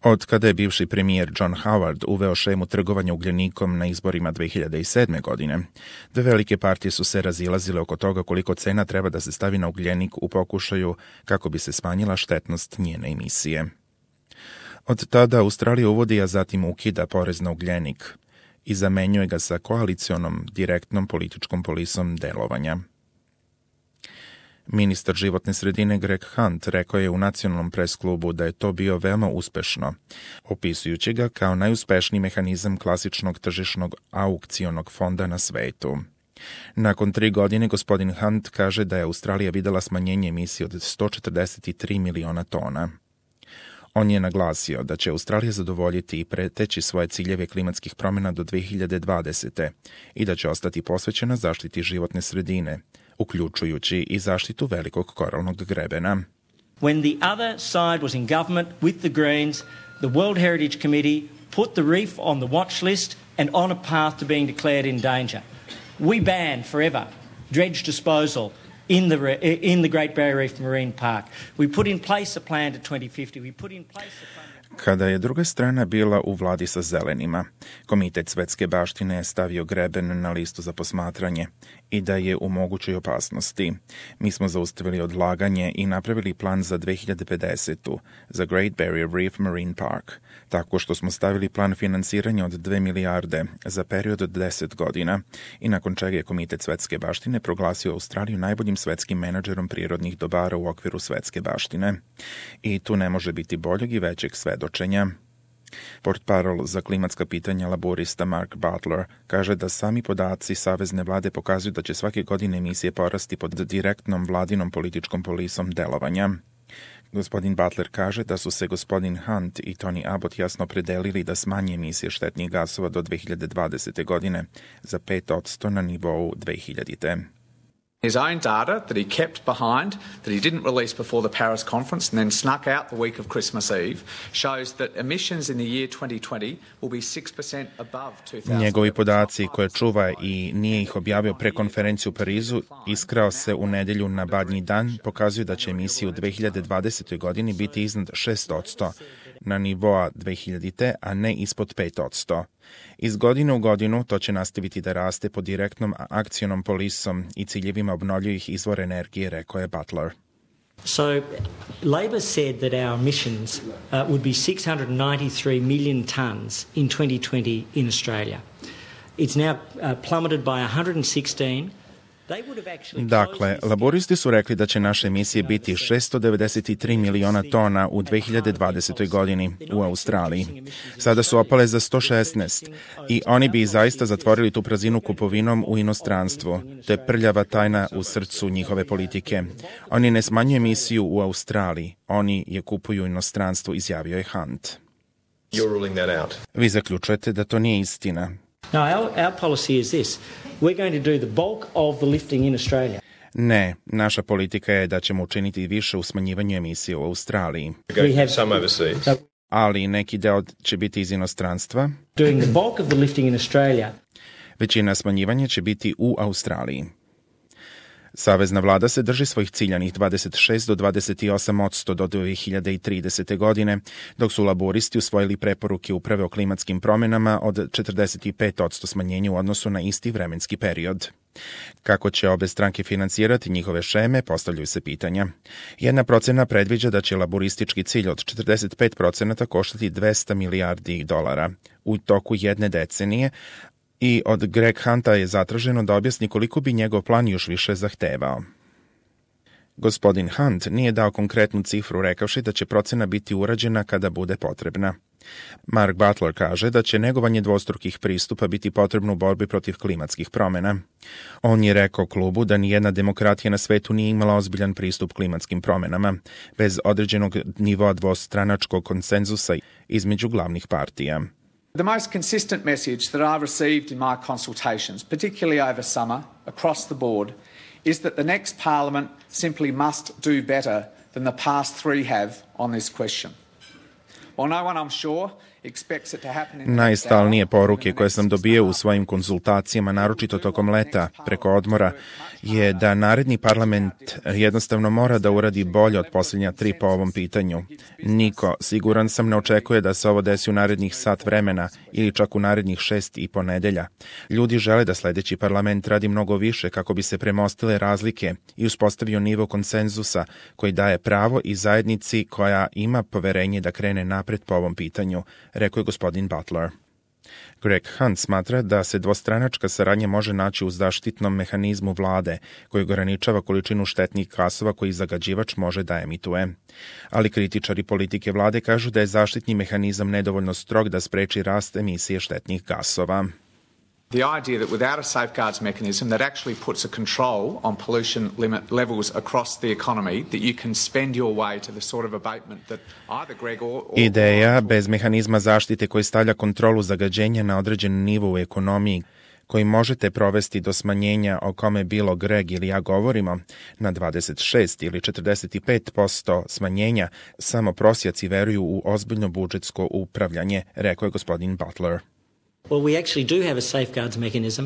Od kada je bivši premijer John Howard uveo šemu trgovanja ugljenikom na izborima 2007. godine, dve velike partije su se razilazile oko toga koliko cena treba da se stavi na ugljenik u pokušaju kako bi se smanjila štetnost njene emisije. Od tada Australija uvodi, a zatim ukida porez na ugljenik i zamenjuje ga sa koalicionom direktnom političkom polisom delovanja. Ministar životne sredine Greg Hunt rekao je u nacionalnom presklubu da je to bio veoma uspešno, opisujući ga kao najuspešniji mehanizam klasičnog tržišnog aukcionog fonda na svetu. Nakon 3 godine gospodin Hunt kaže da je Australija videla smanjenje emisije od 143 miliona tona. On je naglasio da će Australija zadovoljiti i preteći svoje ciljeve klimatskih promjena do 2020. i da će ostati posvećena zaštiti životne sredine, uključujući i zaštitu velikog koralnog grebena. When the other side was in government with the Greens, the World Heritage Committee put the reef on the watch list and on a path to being declared in danger. We banned forever dredge disposal in the Great Barrier Reef Marine Park. We put in place a plan to 2050. We put in place a plan. Kada je druga strana bila u vladi sa zelenima, Komitet svetske baštine je stavio greben na listu za posmatranje i da je u mogućoj opasnosti. Mi smo zaustavili odlaganje i napravili plan za 2050. za Great Barrier Reef Marine Park, tako što smo stavili plan finansiranja od 2 milijarde za period od 10 godina i nakon čega je Komitet svetske baštine proglasio Australiju najboljim svetskim menadžerom prirodnih dobara u okviru svetske baštine. I tu ne može biti boljeg i većeg svedočenja. Portparol za klimatska pitanja laborista Mark Butler kaže da sami podaci savezne vlade pokazuju da će svake godine emisije porasti pod direktnom vladinom političkom polisom delovanja. Gospodin Butler kaže da su se gospodin Hunt i Tony Abbott jasno opredelili da smanje emisije štetnih gasova do 2020. godine za 5% na nivou 2000. His own data that he kept behind, that he didn't release before the Paris conference and then snuck out the week of Christmas Eve, shows that emissions in the year 2020 will be 6% above 2000. Njegovi podaci koje čuva i nije ih objavio pre konferenciju u Parizu, iskrao se u nedelju na Badnji dan, pokazuju da će emisije u 2020. godini biti iznad 6% na nivoa 2000, a ne ispod 5%. Iz godine u godinu to će nastaviti da raste pod direktnom akcionom polisom i ciljevima obnovljivih izvora energije, rekao je Butler. So, Labor said that our emissions would be 693 million tonnes in 2020 in Australia. It's now plummeted by 116. Dakle, laboristi su rekli da će naše emisije biti 693 miliona tona u 2020. godini u Australiji. Sada su opale za 116 i oni bi zaista zatvorili tu prazinu kupovinom u inostranstvu. To je prljava tajna u srcu njihove politike. Oni ne smanjuju emisiju u Australiji, oni je kupuju u inostranstvu, izjavio je Hunt. Vi zaključujete da to nije istina. No, our policy is this. We're going to do the bulk of the lifting in Australia. Ne, naša politika je da ćemo učiniti više u smanjivanju emisije u Australiji. Ali neki deo će biti iz inostranstva. Doing the bulk of the lifting in Australia. Većina smanjivanja će biti u Australiji. Savezna vlada se drži svojih ciljanih 26 do 28% do 2030. godine, dok su laboristi usvojili preporuke uprave o klimatskim promjenama od 45% smanjenja u odnosu na isti vremenski period. Kako će obe stranke finansirati njihove šeme, postavljaju se pitanja. Jedna procena predviđa da će laboristički cilj od 45% koštati $200 milijardi u toku jedne decenije, i od Greg Hunta je zatraženo da objasni koliko bi njegov plan još više zahtevao. Gospodin Hunt nije dao konkretnu cifru, rekavši da će procena biti urađena kada bude potrebna. Mark Butler kaže da će negovanje dvostrukih pristupa biti potrebno u borbi protiv klimatskih promjena. On je rekao klubu da nijedna demokratija na svetu nije imala ozbiljan pristup klimatskim promjenama, bez određenog nivoa dvostranačkog konsenzusa između glavnih partija. The most consistent message that I've received in my consultations, particularly over summer, across the board, is that the next Parliament simply must do better than the past three have on this question. While no one, I'm sure, Najstalnije poruke koje sam dobio u svojim konzultacijama, naročito tokom leta, preko odmora, je da naredni parlament jednostavno mora da uradi bolje od posljednja 3 po ovom pitanju. Niko, siguran sam, ne očekuje da se ovo desi u narednih sat vremena ili čak u narednih 6,5 nedelja. Ljudi žele da sledeći parlament radi mnogo više kako bi se premostile razlike i uspostavio nivo konsenzusa koji daje pravo i zajednici koja ima poverenje da krene napred po ovom pitanju, rekao je gospodin Butler. Greg Hunt smatra da se dvostranačka saradnja može naći u zaštitnom mehanizmu vlade koji ograničava količinu štetnih gasova koji zagađivač može da emituje. Ali kritičari politike vlade kažu da je zaštitni mehanizam nedovoljno strog da spreči rast emisije štetnih gasova. The idea that without a safeguards mechanism that actually puts a control on pollution limit levels across the economy, that you can spend your way to the sort of abatement that either Greg or Ideja bez mehanizma zaštite koji stavlja kontrolu zagađenja na određen nivo u ekonomiji, koji možete provesti do smanjenja o kome bilo Greg ili ja govorimo, na 26 ili 45% smanjenja, samo prosjaci veruju u ozbiljno budžetsko upravljanje, rekao je gospodin Butler. Well, we actually do have a safeguards mechanism.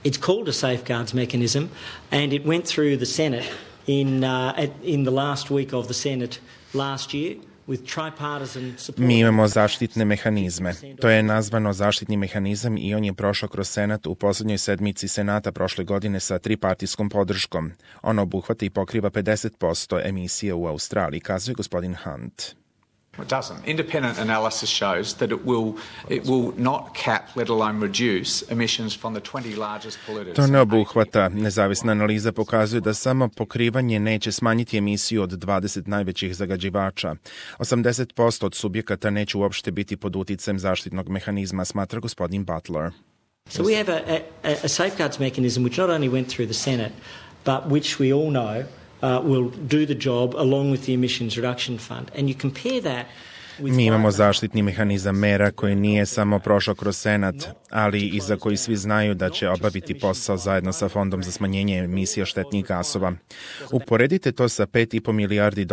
It's called a safeguards mechanism, and it went through the Senate in the last week of the Senate last year with tripartisan support. Mi imamo zaštitne mehanizme. To je nazvano zaštitni mehanizam i on je prošao kroz Senat u poslednjoj sedmici Senata prošle godine sa tripartijskom podrškom. On obuhvata i pokriva 50% emisije u Australiji, kazuje gospodin Hunt. It doesn't. Independent analysis shows that it will not cap, let alone reduce, emissions from the 20 largest polluters. To ne obuhvata. Nezavisna analiza pokazuje da samo pokrivanje neće smanjiti emisiju od 20 najvećih zagađivača. 80% od subjekata neće uopšte biti pod uticajem zaštitnog mehanizma, smatra gospodin Butler. So we have a safeguards mechanism which not only went through the Senate, but which we all know will do the job along with the emissions reduction fund. And you compare that with... Mi imamo zaštitni mehanizam mera koji nije samo prošao kroz Senat, ali i za koji svi znaju da će obaviti posao zajedno sa Fondom za smanjenje emisija štetnih gasova. Uporedite to sa $5,5 milijardi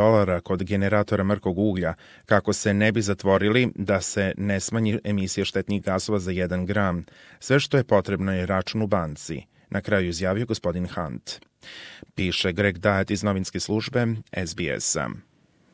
kod generatora mrkog uglja, kako se ne bi zatvorili da se ne smanji emisija štetnih gasova za 1 gram. Sve što je potrebno je račun u banci, na kraju izjavio gospodin Hunt. Piše Greg Dyatt iz novinske službe SBS-a.